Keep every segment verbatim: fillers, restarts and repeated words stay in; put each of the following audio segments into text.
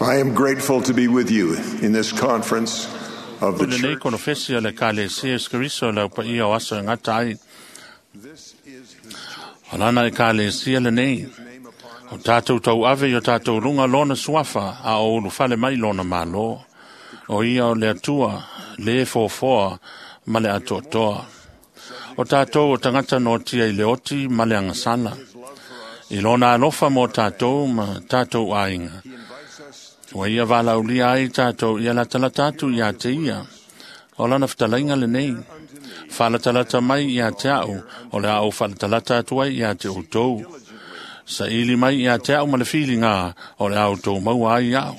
I am grateful to be with you in this conference of the Lenei church. konofesi o le Ekalesia Iesu Keriso le au paia o aso e gata ai. This is his church. O lana Ekalesia lenei. His name upon O tātou tauave i o tātou lunga lona suafa a o ulufale mai lona malo. O ia o le atua, le fofoa ma le atoatoa. O tātou o tangata no tia i le oti ma le angasala. his love for us. I lona alofa mo tātou ma tātou aiga. He invites us Ua ia valaulia ai tātou ia latalata atu ia te ia. O lana whatalaiga lenei. unto me Whalatalata mai ia te au, o le au whalatalata atu ai ia te outou. diligently Sa ili mai ia te au ma le whilinga, o le au tō maua ai au.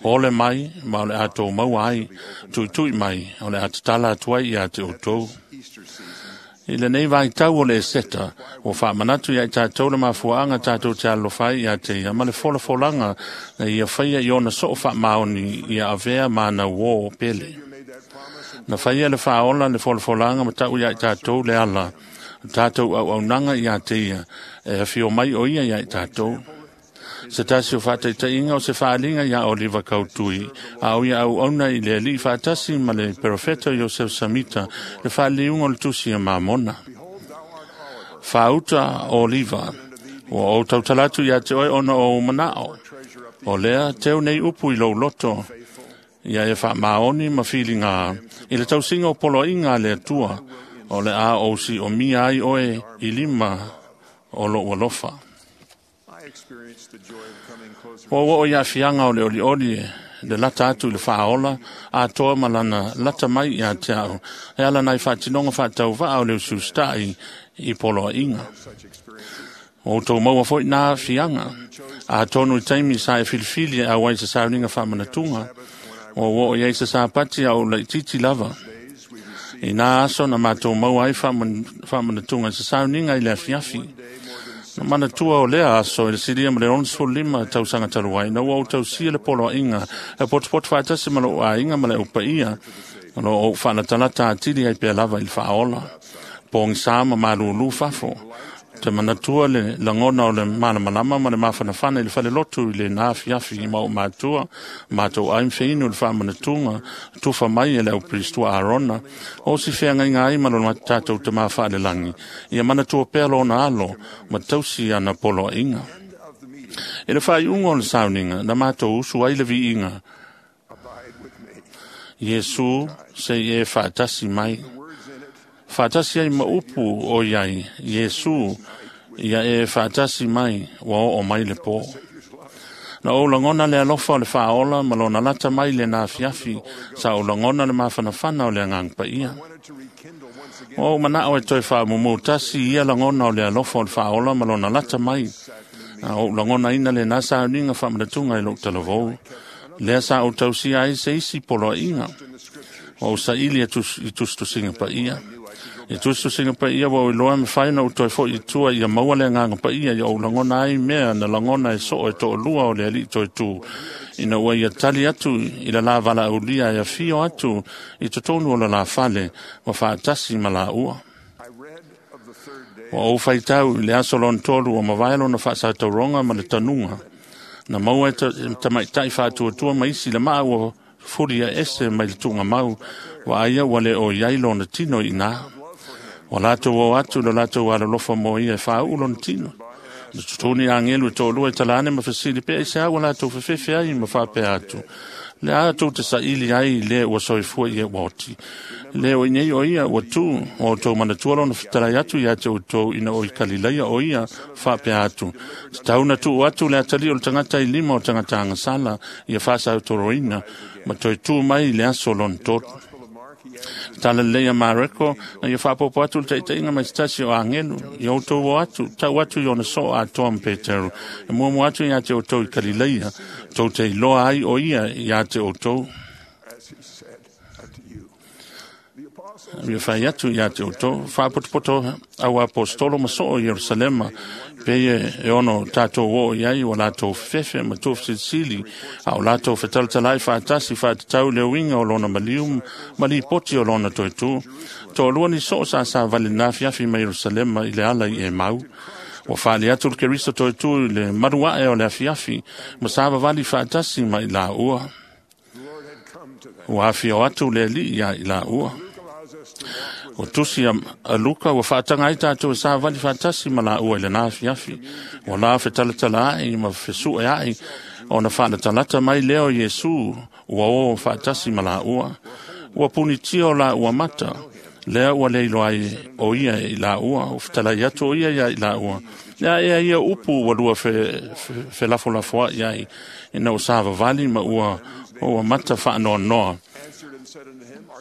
Ole mai, ma o le a tō maua ai, tuitui mai, o le a tatala atu ai ia te outou. Easter season. I lenei vai tau o le eseta, o whaamanatu ia i tātou le mafuaanga tātou te alofai ia te ia, ma le folafolanga na ia whaia i ona soo whaamaoni ia avea mana wō pele. You made that promise and Na whaia le whaola le folafolanga ma tau ia i tātou le ala, tātou au aunanga ia te ia, e whio mai o ia ia i tātou. Se tasi o whātaitainga o se whaalinga ia Oliva Kautui, a o ia au auna i le ali whaatasi ma le perofeto Joseph Samita, le whaaliunga o le tusi a Mamona. behold, thou art Oliver, Whauta Oliva, o o tautalatu ia te oe ona o manao. treasure up the O lea teo nei upu i lou loto, faithful, ia e whaamaoni ma whilinga, i le tausinga o poloinga le atua, o le a o si o mia ai oe i lima o lo alofa. I experienced the joy of coming closer O o ia fianga o le oli oli e, le lata atu i le whaola, a toa malana lata mai ia te au, e ala nai whaatinonga whaatau o le usustai i poloinga. to such experiences. O tō maua foi nā fianga, a tonu i taimi sa e filifili a wai sa sauninga whaamanatunga, Sabbath, when I o o ia i sa sapati au laititi lava. days we received I nā aso na mātou maua ai whaaman- whaamanatuga i sa sauninga i le afiafi. one day more than Na manatua o lea aso i le siria ma le onosefulu lima tausaga talu ai, na ua ou tausia le poloaiga, e potopoto faatasi ma lou aiga ma le aupaia, o loo ou faalatalata atili ai pea lava i le faaola. Pogisa ma malūlū fafo. Te manatua le lagona o le malamalama ma le mafanafana i le falelotu i le nā afiafi i ma o matua, matou ai mfeinu le faamanatuga, tufa mai e le aupiristua Arona, o si feagaiga ai ma lona tatou tamā faalelagi, ia manatua pea lona alo, ma tausi ana poloaiga. end of the meeting. E le faaiuga o le sauniga, na matou usu ai le viiga, Abide with me. Iesu se i e faatasi mai. The words in it Faatasi ai ma upu o iai, Iesu, ia e faatasi mai, ua oo mai le pō. Savior's love. Na o lagona le alofa o le faaola ma lona lata mai le nā afiafi, sa o lagona le mafanafana o le agaga paia. Wanted to rekindle once again O manao e toe faamumu tasi ia lagona o le alofa o le faaola ma lona lata mai. sacrament A o lagona ina le nā sauniga faamanatuga i lou talavou. Lea sa ou tausia ai se isi poloaiga. in the scriptures. O saili e tus, i tusitusiga paia. I knew I could go I tusitusiga paia ua o iloa mafai ona ou toe fo'i i tua ia maua le agaga paia ia ou lagona ai mea na lagona e soo e to'alua o le ali'i toe tū. Ina ua ia tali atu i le la valaaulia e afio atu i totonu o le la fale ma faatasi ma laua. I read of the third day Ua ou faitau i le aso lona tolu o mavae lona faasatauroga ma le tanuga. Na maua e ta- tamaitai faatuatua ma isi le maa ua fuli a ese mai le tuugamau, ua aia ua le o iai lona tino i nā. love for him. Ua latou o atu le latou alolofa mo ia e fāuu lona tino. Na totoni agelu e to'alua e talane ma fesili pea i se au ua latou fefefe ai ma faapea atu. Le a tou te saili ai le ua soifua i e ua oti. Le o inei o ia ua tū, o outou manatua lona fetalai atu ia te outou ina o i Kalilaia o ia faapea atu. Tatau na tuu atu le atalii o le tagata i lima o tagata agasala ia faasautoloina ma toe tū mai i le aso lona tolu. Gospel of Mark, he added Tala lelei a Mareko, na ia faapopo atu le taitaiga mai se tasi o agelu, ia outou o atu, tau atu i ona soo atoa ma Petero. E muamua atu ia te outou i Kalilaia, tou te iloa ai o ia ia te outou. as he said unto you. The apostles Ia fai atu ia te outou, faapotopoto au apostolo ma soo i Ierusalema, pe e e ono tātou o iai o latou fefefe ma tufisilisili, a o latou fetalatalai faatasi faatatau le uiga o lona maliu ma lipoti o lona toetū. Toalua ni soo sa sa vale nā afiafi mai Ierusalema i le ala i e mau. Ua faali atu le Keriso toe tu i le malu ae o le afiafi, ma savavali faatasi ma i laua. Ua afio atu le Alii ia i laua. O tusi a Luka ua faataga ai tatou e savali faatasi ma laua i lena afiafi. Ua la fetalatala ai ma fesue ai, ona faalatalata mai lea o Iesu ua o faatasi ma laua. Ua punitia o laua mata, lea ua le iloa ai o ia i laua, o fetalai atu o ia ia i laua. Lea ea ia upu ua lua felafolafoai ai, ina ua savavali ma ua, ua mata faanoanoa.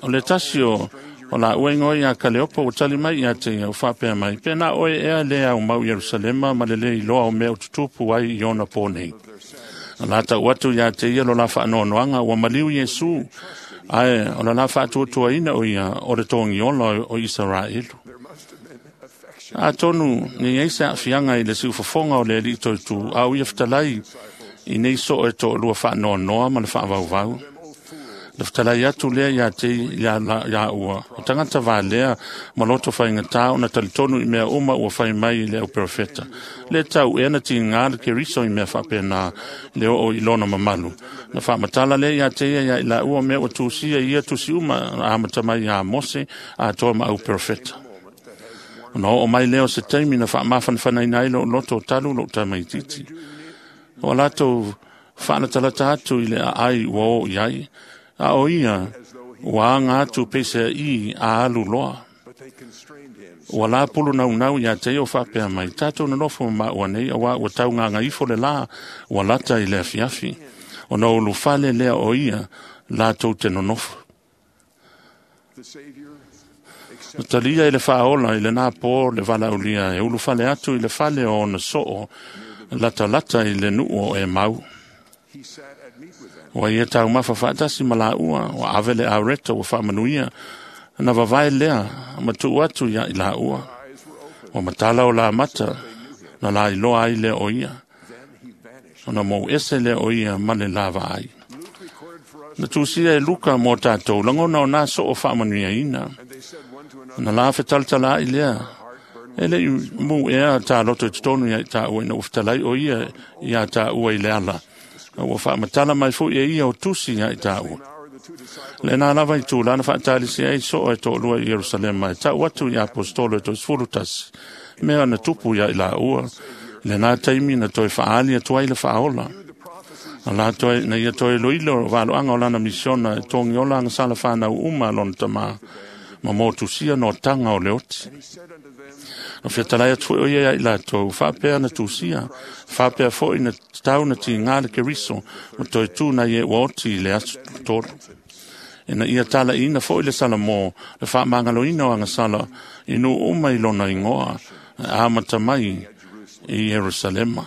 O le tasi o o laua ingoa ia Kaleopa ua tali mai ia te ia, ua faapea mai, pe na oe ea le au mau Ierusalema ma le le iloa o mea o tutupu ai i ona pō nei. Na la tau atu ia te ia lo la faanoanoaga ua maliu Iesu, ae o la la faatuatuaina o ia o le togiola o Isaraelu. Atonu ne i se aafiaga i le siufofoga o le Alii toetu, a o ia fetalai i nei soo e toalua faanoanoa ma le faavauvau. Le fetalai atu lea ia te ia, ia ua. O tagata valea ma loto faigata ona talitonu i mea uma ua fai mai i le au perofeta. Le tau ea na tiga le Keriso i mea faapena le oo i lona mamalu. Na faamatala lea ia te ia ia i la ua mea ua tusia ia tusi uma amata mai ia Mose atoa ma au perofeta. Ona oo mai lea o se taimi na faamafanafanaina ai lou loto o talu lou tamaititi. O latou faalatalata atu i le aai ua oo i ai. A o ia, ua aga atu peisea i a alu loa. Ua la pulu naunau ia te ia o faapea mai, tatou nonofo ma maua nei, aua ua taugaga ifo le la, ua lata i le afiafi. Ona ulufale lea o ia, latou te nonofo. Na talia i le faaola i lena pō le valaaulia e ulufale atu i le fale o ona soo, latalata i le nuu o Emau. Ua ia taumafa faatasi ma laua, ua ave le aureta ua faamanuia, na vavae lea ma tuu atu ia i laua. Ua matala o la mata, na la iloa ai lea o ia. Ona mou ese lea o ia ma le lava ai. Na tusia e Luka mo tātou, langona o nā soo faamanuiaina. Na la fetalatala ai lea, e le i mu ea tā loto i totonu ia i tāua ina ua fetalai o ia ia tāua i le ala. Ua faamatala mai foi e ia o tusi ia i tāua. Le nā lava i tūlana faatalisi ai soo e toalua i Ierusalema e tau atu i apostolo e toesefulu tasi. Mea na tupu ia i laua. Le nā taimi na toe faali atu ai le faaola. Na la toe, na ia toe iloilo valoanga o lana misiona e togiola agasala whanau uma lona tamā. Ma mōtusia no tanga o le oti. Na fetalai atu foi o ia i latou, faapea na tusia, faapea foi na tau na tiga le Keriso, ma toe tū na ie ua oti i le aso tolu. Ina ia talaina foi le Salamo, le faamagaloina o agasala, i nuu uma i lona ingoa, amata mai i Ierusalema.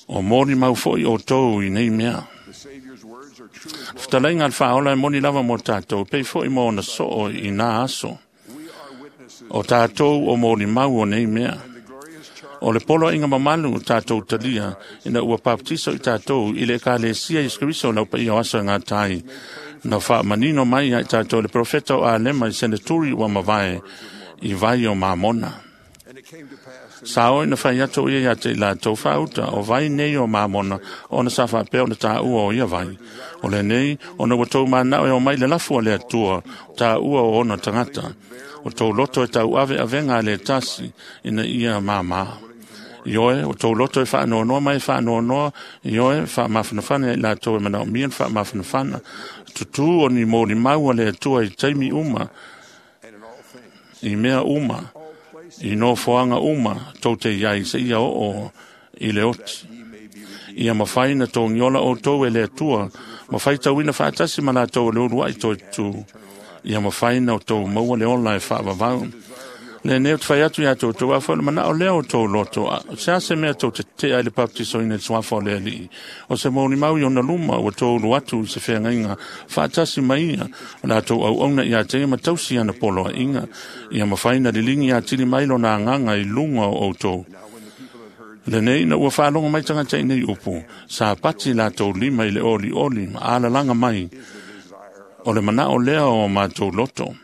O moni mau foi o tou i nei mea. Fetalaiga a le faaola e moni lava mo tātou, pei foi mo ona soo i nā aso. O tātou o moni mau o nei mea. O le poloaiga mamalu o tātou talia, ina ua baptiso i tātou i le ekalesia Iesu Keriso lau paia o aso e gatai. Na faamanino mai ai tātou le profeta o Alema i seneturi ua mavae i vai o Mamona. Sa oi na fai atu ia ia te i latou faauta o vai nei o Mamona, ona sa faapea ona tāua o ia vai. O le nei, ona ua tou manao e o mai le lafu a le Atua, tāua o ona tagata. O tou loto e tau ave avenga a le tasi, ina ia māmā. Ioe, o tou loto e faanoanoa mai e faanoanoa, ioe, faamafanafana i latou e manaomia na faamafanafana. Tutū o ni molimau a le Atua i taimi uma, i mea uma, i nofoaga uma tou te iai se ia oo i le oti. Ia mafai na togiola outou e le Atua, ma faitauina faatasi ma latou o le uluai toetutū. Ia mafai na outou maua le ola e faavavau. Le nei o te fai atu ia toutou, a foi le manao lea o tou loto, se a se mea tou te tetea i le baptisoina i le suafa o le Alii. O se molimau i ona luma ua tou ulu atu i se feagaiga faatasi ma ia, o latou auauna ia te ia ma tausi ana poloaiga. Ia mafai na liligi atili mai lona agaga i luga o outou. Lenei na ua faalogo mai tagata i nei upu, sa pati latou lima i le olioli ma alalaga mai. O le manao lea o matou loto.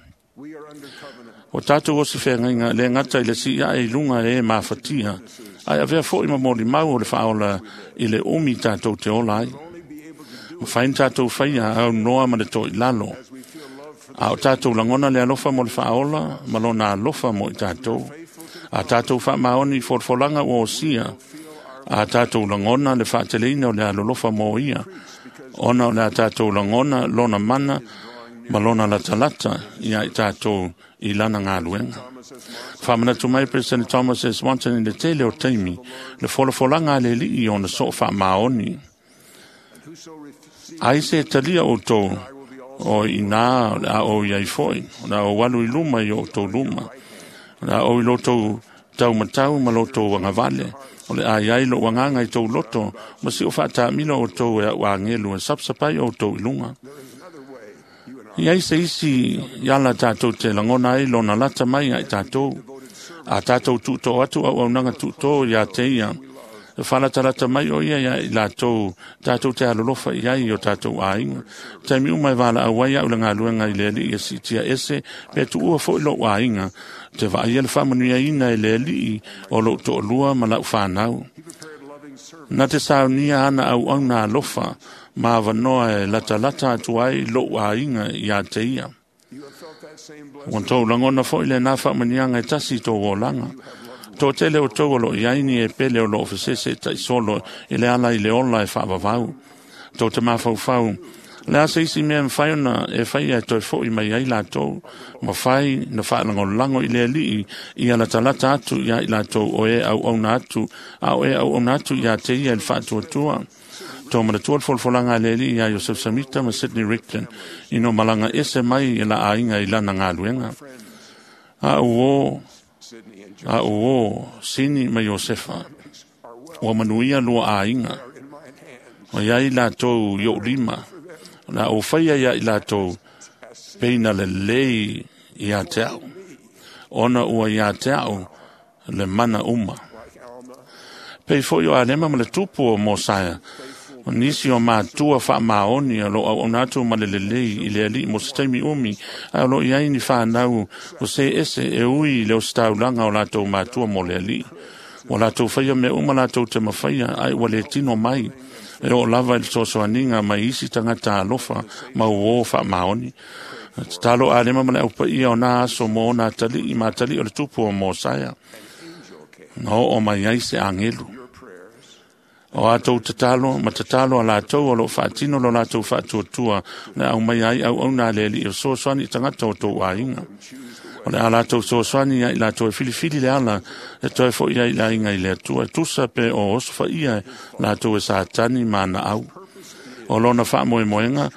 O tātou o si whengainga le ngata i le si ia e lunga e mafatia. Ai avea foi ma moli mau o le whaola i le umi tātou te ola ai. Mawhain tātou whaia au noa ma le toi lalo. A o tātou langona le alofa mo le whaola, ma lona alofa mo i tātou. A tātou whaamaoni i forfolanga o osia. A tātou langona le whaateleina o le alolofa mo ia. Ona o le a tātou langona lona mana ma lona latalata ia i tātou i lana ngā luenga. Whamanatu mai President Thomas S. Monson i le tele o taimi, le folafolanga le lii o na so whaamaoni. Ai se talia o tō, o inā o le a o iai foi, o la o walu i luma i o tō luma, o la o i loto tau matau ma loto wangavale, o le ai ai lo wanganga i tō loto, ma si o whaatamila o tō e au angelu e sapsapai o tō i lunga. Ia ise isi iala tātou te langona ai lona lata mai ai tātou. A tātou tūtō atu au au nanga tūtō ia te ia. E whalatalata mai o ia ia i lātou tātou te alolofa i ai o tātou āinga. Taimi umai wāla au ai au le ngā luenga i le ali i si tia ese pe tuua fo i lo āinga. Te vaai le whamanuia ina i le ali o lo to'olua ma lau whānau. Nā te saunia ana au au nā alofa ma wanoa e lata lata atu ai lo āinga i a te ia. Wan tō langona fo i le nā whamanianga e tasi tō olanga. Tō tele o tō lo i aini e pele o lo ofesese tai solo i le ala i le ola e whaavavau. Tō te mawhauwhau. Le asa isi mea mwhai ona e whai e toi fo i mai ai lātou. Ma whai na whaalango lango i le alii i ala talata atu ia i lātou o e au au atu a o e au au atu ia te ia i whaatuatua. Tō manatua le folfolanga le alii ia Joseph Samita ma Sidney Rigdon i no malanga ese mai i la ainga i lana ngā luenga. A o a o Sini ma Josefa o manuia lua ainga. O ia i lātou i o lima. La o whaia ia i lātou peina le lei i a te au. Ona ua i a te au le mana uma. Pei foi o alema ma le tupu o Mosaia. O nisi o mātua whaamaoni o lo au onatu ma le lelei i le ali mo se taimi umi a o lo iai ni whanau o se ese e ui le o staulanga o lātou mātua mo le ali. O lātou whaia me uma lātou te mawhaia ai ua le tino mai. E o lava i le sosoaninga mai isi tangata alofa ma o whaamaoni. Te talo alema ma le aupa ia o nā aso mo nā tali i mātali o le tupu o Mosaia. Na o o mai ai se angelu. O atou tatalo, ma tatalo a lātou o lo whaatino lo lātou whaatuatua le au mai ai au au nā le li o sosoani tangata o tō ainga. O le a lātou sosoani ia i lātou e filifili le ala e toe fo ia i la inga i le atua. Tusa pe o osofa ia lātou e sātani mana au. O lona whaamoemoenga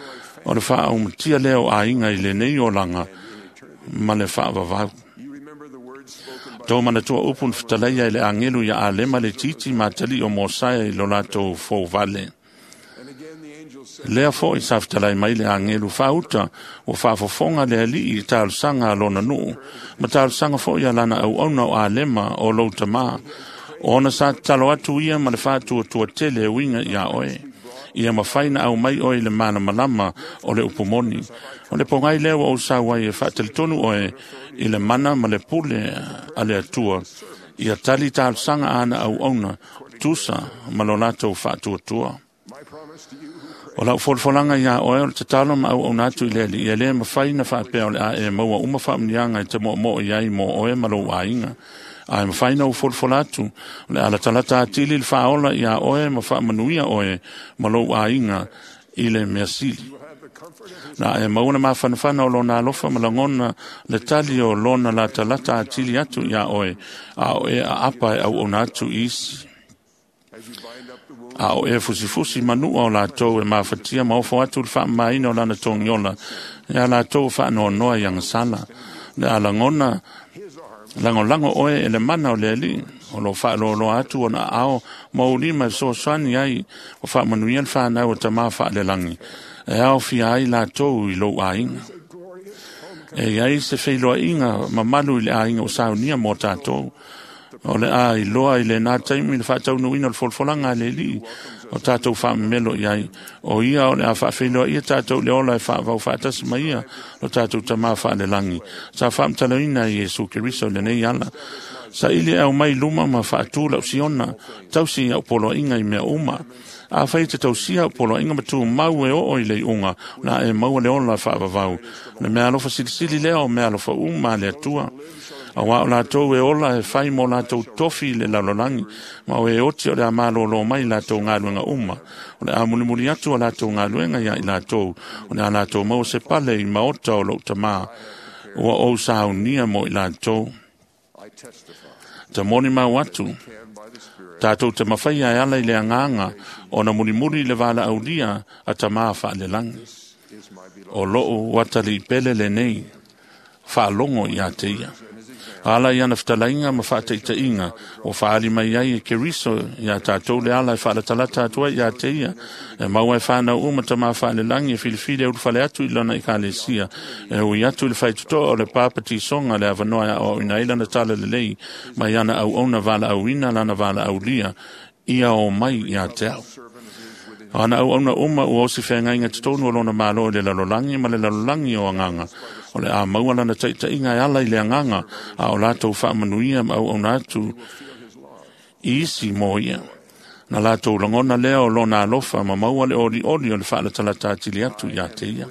o le whaaumatia leo ainga i le nei o langa ma le whaavavau. Tō manatua upu nwhitaleia i le angelu ia alema le titi mātali o Mosaia i lo lātou fōvale. Lea fo i saftalai mai le angelu whauta o whaafofonga le ali i tālusanga a lona nuu. Ma tālusanga fo i alana au auna o alema o lautamā. O ona sa talo atu ia ma le whaatua tua tele winga ia oe. Ia mawhaina au mai oe le mana malama o le upumoni. O le pongai leo o sawai e whaatelitonu oe i le mana ma le pule a le atua. Ia tali tālusanga ana au auna tusa ma lo lātou whaatuatua. O lau folfolanga ia oe o le tatalo ma au auna atu i le ali. Ia le mawhaina whaapea o le a e maua uma whaamnianga i te mo mo i ai mo oe ma lou ainga. Ai mawhaina u folfola atu, le ala talata atili le whaola ia oe ma whaamanuia oe ma lou ainga i le mea sili. Na e mauna mawhanawhana o lona alofa ma langona le tali o lona la talata atili atu ia oe a oe a apa e au ona atu isi. A o e fusifusi manua o lātou e mafatia ma ofo atu le whaamaina o lana tongiola e a lātou whaanoanoa i angasala. Le a langona lango lango oe e le mana o le ali o lo whaaloloa atu o na ao maulima e sosoani ai o whaamanuia le whanau o tamā whaalelangi e ao fia ai lātou i lou ainga. E iai se wheiloa inga mamalu i le ainga o saunia mō tātou. O le a iloa i lena taimi le faataunuuina o le folafolaga a le Alii o tatou faamamelo i ai. O ia o le a faafeiloaia tatou i le ola e faavau faatasi ma ia lo tatou Tamā faalelagi. Sa faamatalaina e Iesu Keriso i lenei ala. Saili e aumai i luma ma faatū lau Siona, tausi au poloaiga i mea uma. Afai e te tausia au poloaiga ma tumau e oo i le iuga, o le a e maua le ola faavavau. O le meaalofa silisili lea o meaalofa uma a le Atua. Auā o latou e ola e fai mo latou tofi i le lalolagi, ma o e oti o le a malōlō mai i latou galuega uma. O le a mulimuli atu a latou galuega iā i latou, o le a latou maua se pale i maota o lou Tamā, ua ou saunia mo i latou. I testify Ta molimau atu, can by the Spirit tatou te mafaia e ala i le agaga ona mulimuli i le valaaulia a Tamā faalelagi. is my beloved O lou atalii pele lenei, faalogo iā te ia. and his example Ala i ana fetalaiga ma faataitaiga ua faaali mai ai e Keriso iā tatou le ala e faalatalata atu ai iā te ia. E maua e whānau uma tamā faalelagi e filifili e ulufale atu i lona ekalesia. E ui atu i le faitotoa o le pāpatisonga le avanoa e aoaoina ai lana talalelei mai ana auauna valaauina lana valaaulia ia o mai iā te au. servant of his within O ana auauna uma ua osi feagaiga totonu o lona malo i le lalolagi ma le lalolagi o agaga. O le a maua lana taitaiga e ala i le agaga, a o latou faamanuia ma auauna atu will feel his love i isi mo ia. Na latou lagona lea o lona alofa ma maua le olioli o le faalatalata atili atu iā te ia.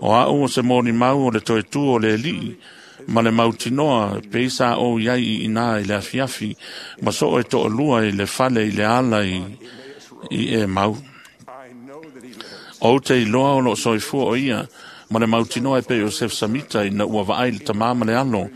O au o se molimau o le toe tū o le Alii, ma le mautinoa pei sa ou iai i inā i le afiafi, ma soo e toalua i le fale i le ala i, i e mau. I know that he lives O te iloa o loo soifua o ia, ma le mautinoa e pei o Sef Samita ina ua vaai le tamā ma le alo,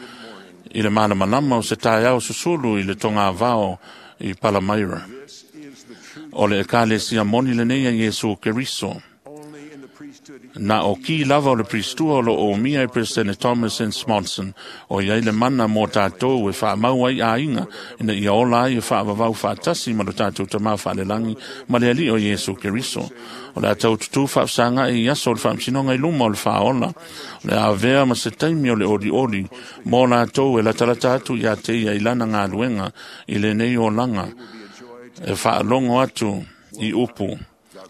i le malamalama o se taeao susulu i le togavao i Palamaira. this is the true O le ekalesia moni lenei a Iesu Keriso. only in the priesthood Na o ki lava o le pristua o lo o mia e President Thomas N. Smonson, o iai le mana mō tātou e whaamau ai āinga, ina ia ola ai e whaavavau whaatasi ma lo tātou tamā whaalelangi ma le ali o Iesu Keriso. O le a tau tutu whaafsanga e i aso o le whaamsinonga i luma o le whaola. O le a vea ma se taimi o le ori ori, mō lātou e latalata atu i a te ia i lana ngā i lenei o langa, will be a joy to e whaalongo atu i upu.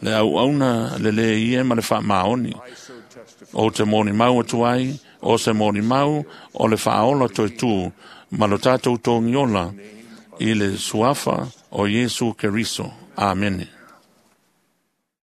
Le auauna le le ie ma le whaamaoni. I so testify O te molimau atu ai, o se molimau, o le whaola toe tū, ma lo tātou tōngiola i le suafa o Iesu Keriso. Amene.